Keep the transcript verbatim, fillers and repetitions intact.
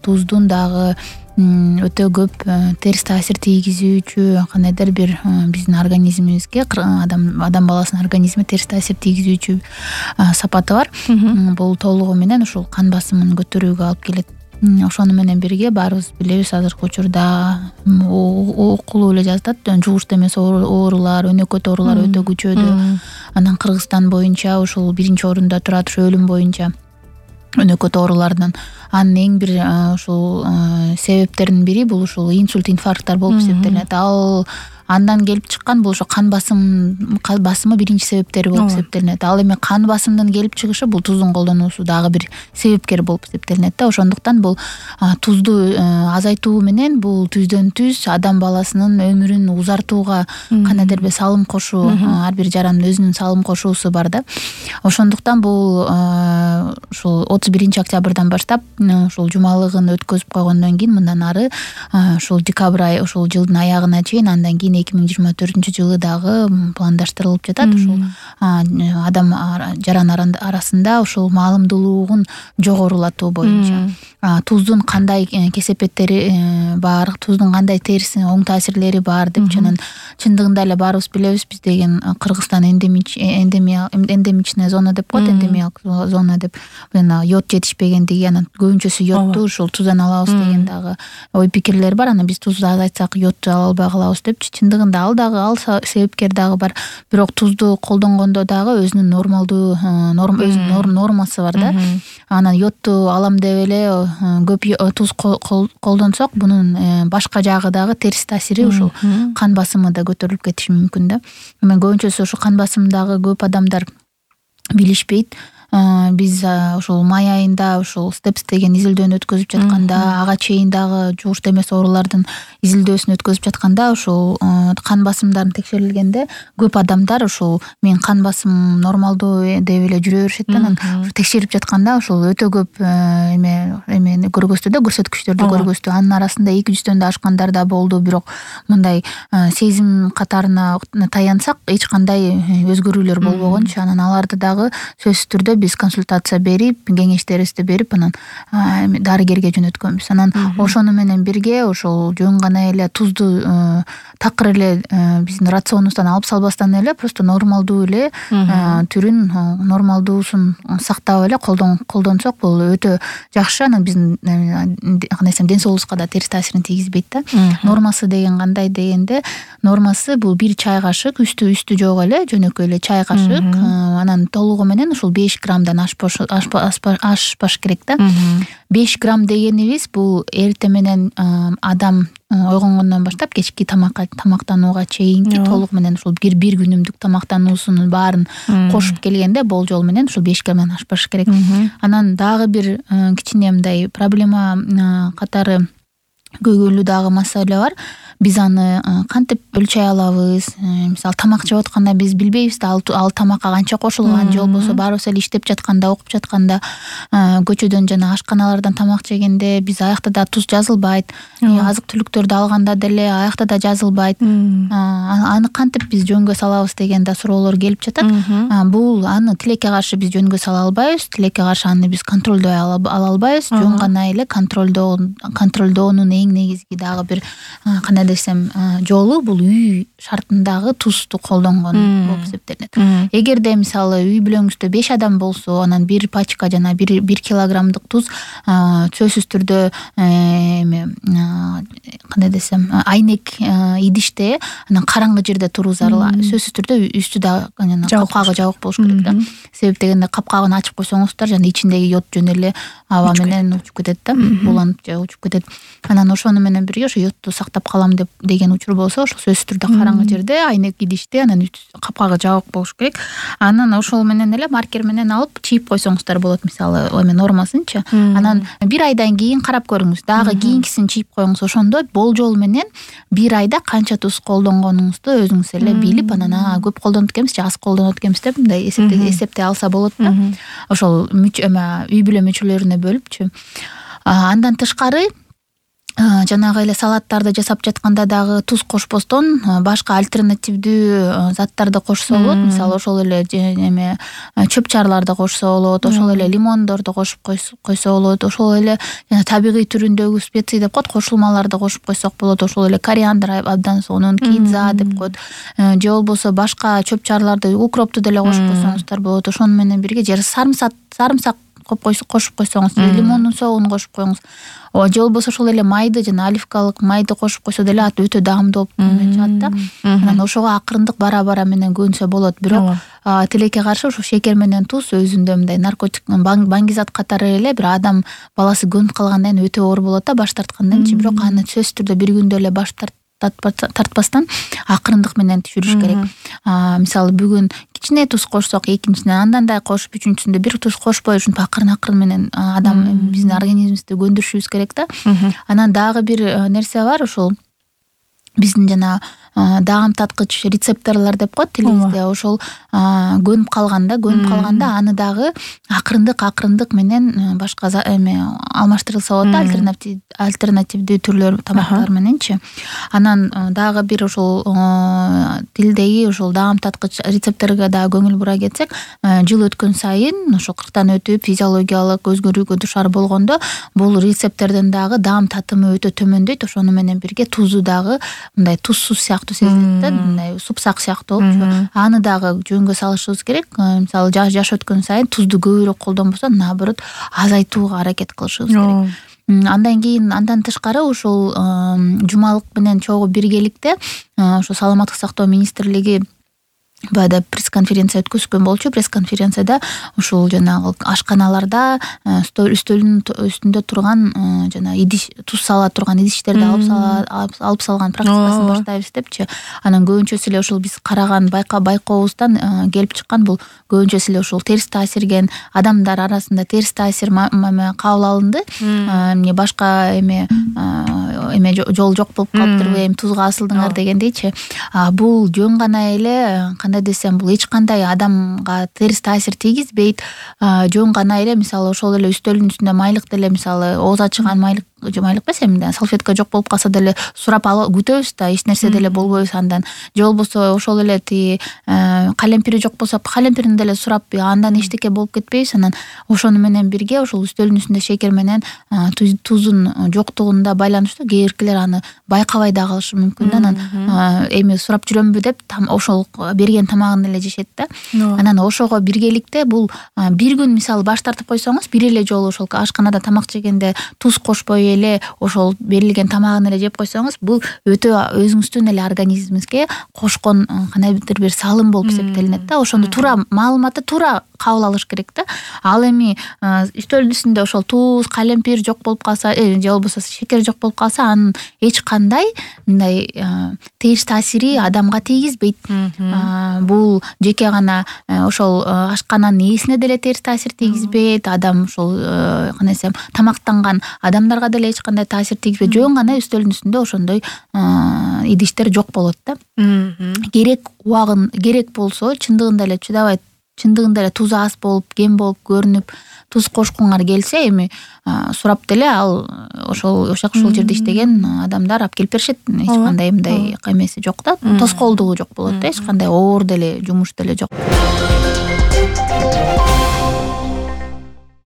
туздун дагы өтө көп терс таасир тийгизүүчү кандайдыр бир биздин организмибизге адам адам баласынын организмине терс таасир тийгизүүчү сапаты бар. Бул толугу менен ушул кан басымын көтөрүүгө алып келет. Ошону менен бирге баарыбыз билебиз, азыркы учурда окулуп эле жатат, жугуштуу эмес оорулар, өнөкөт оорулар өтө күчөдү. Анан Кыргызстан боюнча ушул биринчи орунда турат, ушу өлүм боюнча өнөкөт оорулардан. Анын эң бир ушул себептеринин бири бул ушул инсульт, инфаркттар болуп эсептелет. Ал андан келип чыккан бул ошо кан басым кан басымы биринчи себептери болуп эсептелинет. Ал эми кан басымдын келип чыгышы бул туздун колдонуусу дагы бир себепкер болуп эсептелинет да. Ошондуктан бул тузду азайтуу менен бул түздөн түз адам баласынын өмүрүн узартууга кандайдыр бир салым кошуу, ар бир жарандын өзүнүн салым кошуусу бар да. Ошондуктан бул ушул отуз биринчи октябрдан баштап ушул жумалыгын өткөзүп койгондон кийин мындан ары ушул декабрь ай, ушул жылдын аягына чейин, андан кийин эки миң жыйырма төртүнчү жылы дагы пландаштырылып жатат. Ушул адам жаран арасында ушул маалымдуулугун жогорулатуу боюнча туздун кандай кесепеттери бар, туздун кандай терс оң таасирлери бар деп. Анан чындыгында эле баарыбыз билебиз, биз деген Кыргызстан эндемичная зона деп коет, эндемиялык зона деп. Мына йод жетишпегендиги, анан көбүнчөсү йодду ушул туздан алабыз деген дагы ой пикирлер бар. Анан биз тузду азайтсак йодду ала албай калабыз депчи. Чындыгында ал дагы ал себепкер дагы бар. Бирок тузду колдонгондо дагы өзүнүн нормалдуу өзүнүн нормасы бар да. Анан йодду алам деп эле көп туз колдонсок, бунун башка жагы дагы терс таасири ушул кан басымы да көтөрүлүп кетиши мүмкүн да. Эми көбүнчөсү ушул кан басымдагы көп адамдар билишпейт. Биз ушул май айында ушул степс деген изилдөөнү өткөзүп жатканда, ага чейин дагы жугуштуу эмес оорулардын изилдөөсүн өткөзүп жатканда, ушул кан басымдарын текшерилгенде көп адамдар ушул мен кан басымым нормалдуу деп эле жүрө беришет. Анан текшерип жатканда ушул өтө көп эме эмени көргөздү да, көрсөткүчтөрдү көргөздү. Анын арасында эки жүздөн да ашкандар да болду. Бирок мындай сезим катарына таянсак эч кандай өзгөрүүлөр болбогончу. Анан аларды дагы сөзсүз түрдө биз консультация берип, кеңештерибизди берип, анан дарыгерге жөнөткөнбүз. Анан ошону менен бирге ошол жөн гана эле тузду такыр эле биздин рационубуздан алып салбастан эле просто нормалдуу эле түрүн, нормалдуусун сактап эле колдонсок бул өтө жакшы. Анан биздин кандай десем ден соолугубузга да терс таасирин тийгизбейт да. Нормасы деген кандай дегенде, нормасы бул бир чай кашык, үстү үстү жок эле, жөнөкөй эле чай кашык. Анан толугу менен ушул беш граммдан ашпаш керек да. беш грамм дегенибиз бул эртең менен адам ойгонгондон баштап кечки тамакка тамактанууга чейинки толук менен ушул бир бир күнүмдүк тамактануусунун баарын кошуп келгенде болжол менен ушул беш граммдан ашпаш керек. Анан дагы бир кичине мындай проблема катары көйгөйлүү дагы маселе бар. Биз аны кантип өлчөй алабыз? Мисалы тамак жеп атканда биз билбейбиз да, ал тамакка канча кошулган, же болбосо баарыбыз эле иштеп жатканда, окуп жатканда, көчөдөн жана ашканалардан тамак жегенде биз аякта да туз жазылбайт. Азык-түлүктөрдү алганда деле аякта да жазылбайт. Аны кантип биз жөнгө салабыз деген да суроолор келип жатат. Бул аны тилекке каршы биз жөнгө сала албайбыз. Тилекке каршы аны биз контролдой ала албайбыз. Жөн гана эле контролдоо контролдоонун эң негизги дагы бир кандай десем жолу бул үй шартындагы тузду колдонгон болуп эсептелет. Эгерде мисалы үй бүлөңүздө беш адам болсо, анан бир пачка жана бир бир килограммдык туз сөзсүз түрдө эме кандай десем айнек идиште, анан караңгы жерде туруу зарыл. Сөзсүз түрдө үстү да капкагы жабык болуш керек да. Себеп дегенде капкагын ачып койсоңуздар жана ичиндеги йод жөн эле аба менен учуп кетет да, буланып же учуп кетет. Анан ошону менен бирге ошо йодду сактап калам деп деген учур болсо, ошол сөзсүз түрдө караңгы жерде айнек идиште, анан капкагы жабык болуш керек. Анан ошол менен эле маркер менен алып чийип койсоңуздар болот, мисалы эме нормасынчы. Анан бир айдан кийин карап көрүңүз, дагы кийинкисин чийип коюңуз. Ошондо болжол менен бир айда канча туз колдонгонуңузду өзүңүз эле билип, анан көп колдонуп экенбиз же аз колдонуп экенбиз деп мындай эсептей алса болот да. Ошол эме үй бүлө мүчөлөрүнө бөлүпчү. Андан тышкары жанагы эле салаттарды жасап жатканда дагы туз кошпостон башка альтернативдүү заттарды кошсо болот. Мисалы ошол эле эме чөп-чарларды кошсо болот, ошол эле лимондорду кошуп койсо болот, ошол эле жана табигый түрүндөгү специй деп коет, кошулмаларды кошуп койсок болот. Ошол эле кориандр абдан сонун, кинза деп коет. Же болбосо башка чөп-чарларды, укропту деле кошуп койсоңуздар болот. Ошону менен бирге же сарымсак сарымсак кошуп койсоңуз, лимондун согун кошуп коюңуз. Же болбосо ошол эле майды жана оливкалык майды кошуп койсо деле ат өтө даамдуу болуп чыгат да. Анан ошого акырындык бара-бара менен көнсө болот. Бирок тилекке каршы ошо шекер менен туз өзүндө мындай наркотик, баңгизат катары эле бир адам баласы көнүп калгандан кийин өтө оор болот да, баш тарткандан кийин. Бирок аны сөзсүз түрдө бир күндө эле баш тартпастан акырындык менен түшүрүш керек. Мисалы бүгүн кичине туз кошсок, экинчисинен андан да кошуп, үчүнчүсүндө бир туз кошпой ушинтип акырын акырын менен адам биздин организмибизди көндүрүшүбүз керек да. Анан дагы бир нерсе бар, ошол биздин жана даам таткыч рецепторлор деп коет тилибизде. Ошол көнүп калганда, көнүп калганда аны дагы акырындык акырындык менен башка эме алмаштырылса болот да, альтернатив альтернативдүү түрлөр тамактар мененчи. Анан дагы бир ошол тилдеги ошол даам таткыч рецепторго дагы көңүл бура кетсек, жыл өткөн сайын ошо кырктан өтүп физиологиялык өзгөрүүгө душар болгондо бул рецептордон дагы даам татымы өтө төмөндөйт. Ошону менен бирге тузу дагы мындай тузсуз сыяктуу сезилет да, мындай супсак сыяктуу болчу. Аны дагы жөнгө салышыбыз керек. Мисалы жаш өткөн сайын тузду көбүрөөк колдонбосо, наоборот, азайтууга аракет кылышыбыз керек. Андан кийин андан тышкары ошол жумалык менен чогуу биргеликте ошо саламаттык сактоо министрлиги баягы пресс-конференция өткөзгөн болчу. Пресс-конференцияда ушул жанагы ашканаларда үстөлүнүн үстүндө турган жана идиш туз сала турган идиштерди алып алып салган практикасын баштайбыз депчи. Анан көбүнчөсү эле ошол биз караган байка байкообуздан келип чыккан, бул көбүнчөсү эле ошол терс таасирген адамдар арасында терс таасир кабыл алынды. Эмне башка эме эме жол жок болуп калыптырбы, эми тузга асылдыңар дегендейчи. Бул жөн гана эле, кандай десем, бул эч кандай адамга терс таасир тийгизбейт. Жөн гана эле мисалы ошол эле үстөлдүн үстүндө майлык деле, мисалы ооз ачыган майлык же майлык эмес, эми салфетка жок болуп калса деле сурап алып күтөбүз да, эч нерсе деле болбойбуз андан. Же болбосо ошол эле ти калемпири жок болсо калемпирин деле сурап андан эчтеке болуп кетпейбиз. Анан ошону менен бирге ошол үстөлдүн үстүндө шекер менен тузун жоктугунда байланыштуу кээ биркилер аны байкабай да калышы мүмкүн да. Анан эми сурап жүрөмбү деп ошол берген тамагын эле жешет да. Анан ошого биргеликте бул бир күн мисалы баш тартып койсоңуз, бир эле жолу ошол ашканада тамак жегенде туз кошпой эле ошол берилген тамагын эле жеп койсоңуз, бул өтө өзүңүздүн эле организмиңизге кошкон кандайдыр бир салым болуп эсептелинет да. Ошондо туура маалыматты туура кабыл алыш керек да. Ал эми үстөлдүн үстүндө ошол туз, калемпир жок болуп калса, же болбосо шекер жок болуп калса, анын эч кандай мындай терс таасири адамга тийгизбейт. Бул жеке гана ошол ашкананын ээсине деле терс таасир тийгизбейт. Адам ошол кандай десем, тамактанган адамдарга деле эч кандай таасир тийгизбейт. Жөн гана үстөлдүн үстүндө ошондой идиштер жок болот да. Керек убагын керек болсо чындыгында эле чыдабай, чындыгында эле тузу аз болуп, кем болуп көрүнүп, туз кошкуңар келсе, эми сурап деле ал ошол ошак ушул жерде иштеген адамдар алып келип беришет. Эч кандай мындай эмеси жок да, тоскоолдугу жок болот да, эч кандай оор деле жумуш деле жок.